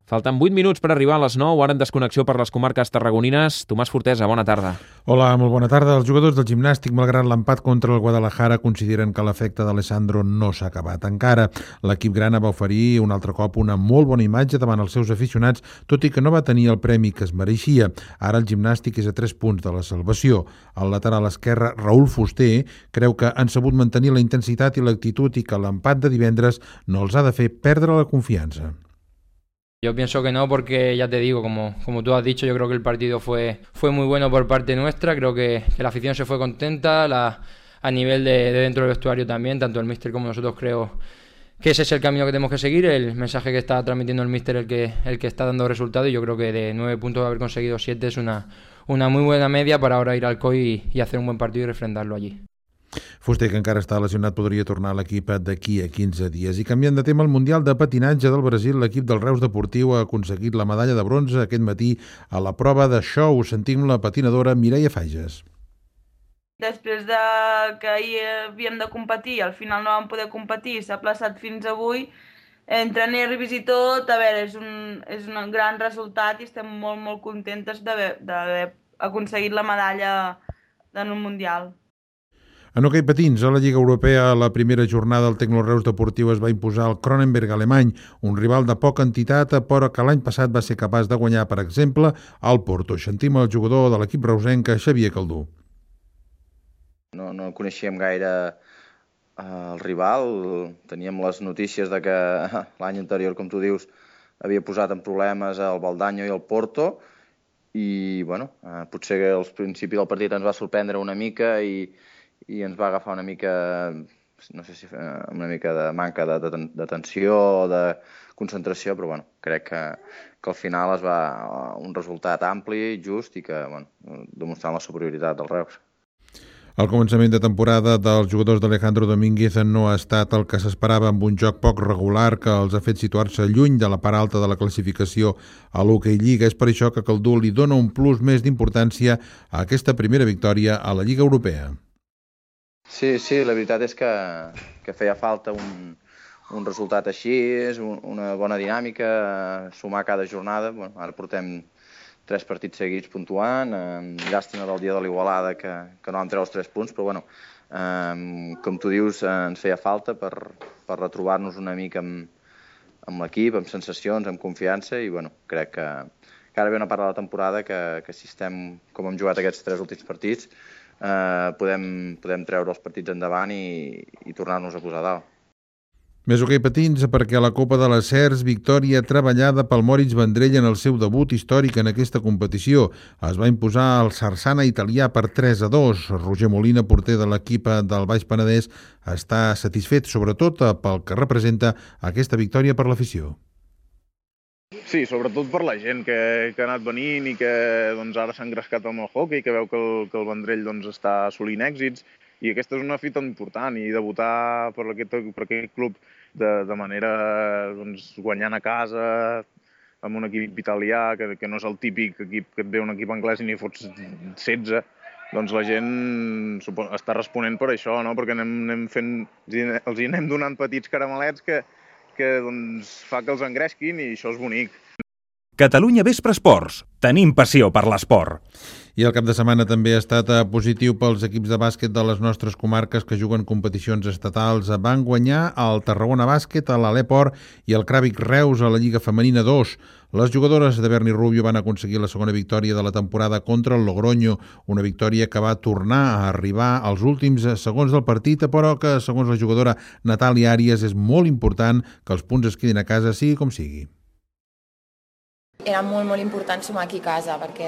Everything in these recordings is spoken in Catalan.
Falten 8 minuts per arribar a les 9, ara en desconnexió per les comarques tarragonines. Tomàs Fortesa, bona tarda. Hola, molt bona tarda. Els jugadors del Gimnàstic, malgrat l'empat contra el Guadalajara, consideren que l'efecte d'Alessandro no s'ha acabat encara. L'equip grana va oferir un altre cop una molt bona imatge davant els seus aficionats, tot i que no va tenir el premi que es mereixia. Ara el Gimnàstic és a 3 punts de la salvació. El lateral esquerre, Raúl Fuster, creu que han sabut mantenir la intensitat i l'actitud i que l'empat de divendres no els ha de fer perdre la confiança. Yo pienso que no, porque ya te digo, como tú has dicho, yo creo que el partido fue muy bueno por parte nuestra. Creo que la afición se fue contenta, a nivel de dentro del vestuario también, tanto el míster como nosotros. Creo que ese es el camino que tenemos que seguir, el mensaje que está transmitiendo el míster, el que está dando resultados, y yo creo que de 9 puntos haber conseguido 7 es una muy buena media para ahora ir al COI y hacer un buen partido y refrendarlo allí. Fuster, que encara està lesionat, podria tornar a l'equip d'aquí a 15 dies. I canviant de tema, el Mundial de Patinatge del Brasil, l'equip del Reus Deportiu ha aconseguit la medalla de bronze aquest matí a la prova de show. Sentim la patinadora Mireia Fages. Després que ahir havíem de competir, al final no vam poder competir, s'ha plaçat fins avui, entre nervis i tot, a veure, és un gran resultat i estem molt contentes d'haver aconseguit la medalla en un Mundial. En hoquei patins, a la Lliga Europea, a la primera jornada el Tecnoreus Deportiu es va imposar al Cronenberg alemany, un rival de poca entitat, però que l'any passat va ser capaç de guanyar, per exemple, al Porto. Sentim el jugador de l'equip reusenca, Xavier Caldú. No coneixíem gaire el rival, teníem les notícies de que l'any anterior, com tu dius, havia posat en problemes el Baldanyo i el Porto, i bueno, potser al principi del partit ens va sorprendre una mica i ens va agafar una mica, no sé si una mica de manca d'atenció o de concentració, però bueno, crec que al final es va un resultat ampli, just i que, bueno, demostrant la superioritat del Reus. El començament de temporada dels jugadors d'Alejandro Domínguez no ha estat el que s'esperava, amb un joc poc regular que els ha fet situar-se lluny de la part alta de la classificació a l'Hockey Lliga. És per això que Caldú li dona un plus més d'importància a aquesta primera victòria a la Lliga Europea. Sí, la veritat és que feia falta un resultat així, és una bona dinàmica, sumar cada jornada. Bueno, ara portem 3 partits seguits puntuant, llàstima del dia de l'Igualada que no vam treure els 3 punts, però bueno, com tu dius, ens feia falta per retrobar-nos una mica amb l'equip, amb sensacions, amb confiança, i bueno, crec que ara ve una part de la temporada que si estem com hem jugat aquests 3 últims partits, podem treure els partits endavant i tornar-nos a posar dalt. Més hoquei patins, perquè a la Copa de les Cers, victòria treballada pel Moritz Vendrell en el seu debut històric en aquesta competició. Es va imposar el Sarsana italià per 3-2. Roger Molina, porter de l'equip del Baix Penedès, està satisfet, sobretot pel que representa aquesta victòria per l'afició. Sí, sobretot per la gent que ha anat venint i que ara s'ha engrescat amb el hockey, que veu que el Vendrell està assolint èxits, i aquesta és una fita important, i debutar per aquest club de manera guanyant a casa amb un equip italià, que no és el típic equip que et ve un equip anglès i n'hi fots 16, doncs la gent està responent per això, no? Perquè els anem donant petits caramelets que fa que els engresquin, i això és bonic. Catalunya Vespre Esports. Tenim passió per l'esport. I el cap de setmana també ha estat positiu pels equips de bàsquet de les nostres comarques que juguen competicions estatals. Van guanyar el Tarragona Bàsquet, a l'Aleport, i el Cràvic Reus a la Lliga Femenina 2. Les jugadores de Berni Rubio van aconseguir la segona victòria de la temporada contra el Logroño, una victòria que va tornar a arribar als últims segons del partit, però que, segons la jugadora Natàlia Àries, és molt important que els punts es quedin a casa, sigui com sigui. Era molt important sumar aquí a casa, perquè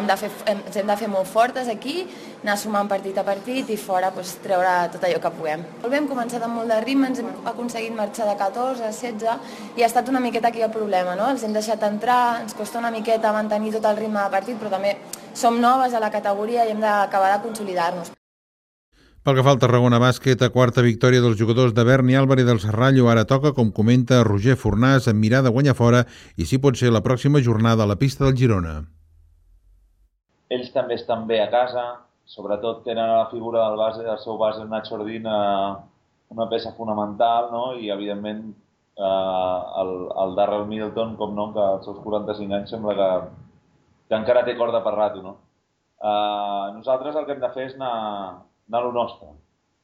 ens hem de fer molt fortes aquí, anar sumant partit a partit i fora treure tot allò que puguem. Hem començat amb molt de ritme, ens hem aconseguit marxar de 14 a 16 i ha estat una miqueta aquí el problema, no? Els hem deixat entrar, ens costa una miqueta mantenir tot el ritme de partit, però també som noves a la categoria i hem d'acabar de consolidar-nos. Pel que fa al Tarragona Bàsquet, a quarta victòria dels jugadors de Berni Álvarez del Serrallo, ara toca, com comenta Roger Fornàs, amb mirada a guanyar fora, i si pot ser la pròxima jornada a la pista del Girona. Ells també estan bé a casa, sobretot tenen la figura del seu base, Nacho Ordín, una peça fonamental, no? I evidentment el Darrell Middleton, com no, que als seus 45 anys sembla que encara té corda per rato, no? Nosaltres el que hem de fer és anar a lo nostre.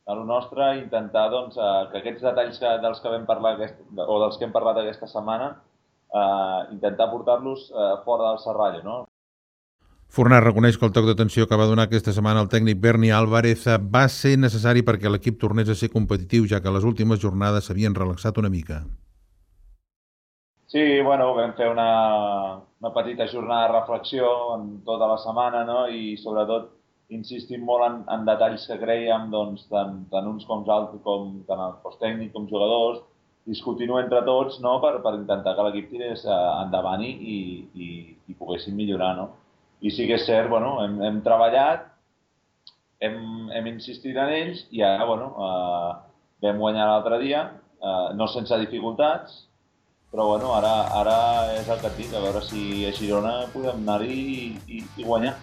A lo nostre i intentar doncs, que aquests detalls dels que vam parlar o dels que hem parlat aquesta setmana intentar portar-los fora del serrallo, no? Fornàs reconeix que el toc d'atenció que va donar aquesta setmana el tècnic Berni Álvarez va ser necessari perquè l'equip tornés a ser competitiu, ja que les últimes jornades s'havien relaxat una mica. Sí, bueno, vam fer una petita jornada de reflexió en tota la setmana, no? I sobretot insistim molt en detalls que creiem, doncs, tant uns com altres, tant el cos tècnic com jugadors, discutint-ho entre tots, no? per intentar que l'equip tirés endavant i poguessin millorar, no? I sí que és cert, bueno, hem treballat, hem insistit en ells i ara, bueno, vam guanyar l'altre dia, no sense dificultats, però bueno, ara és el que et dic, a veure si a Girona podem anar-hi i guanyar.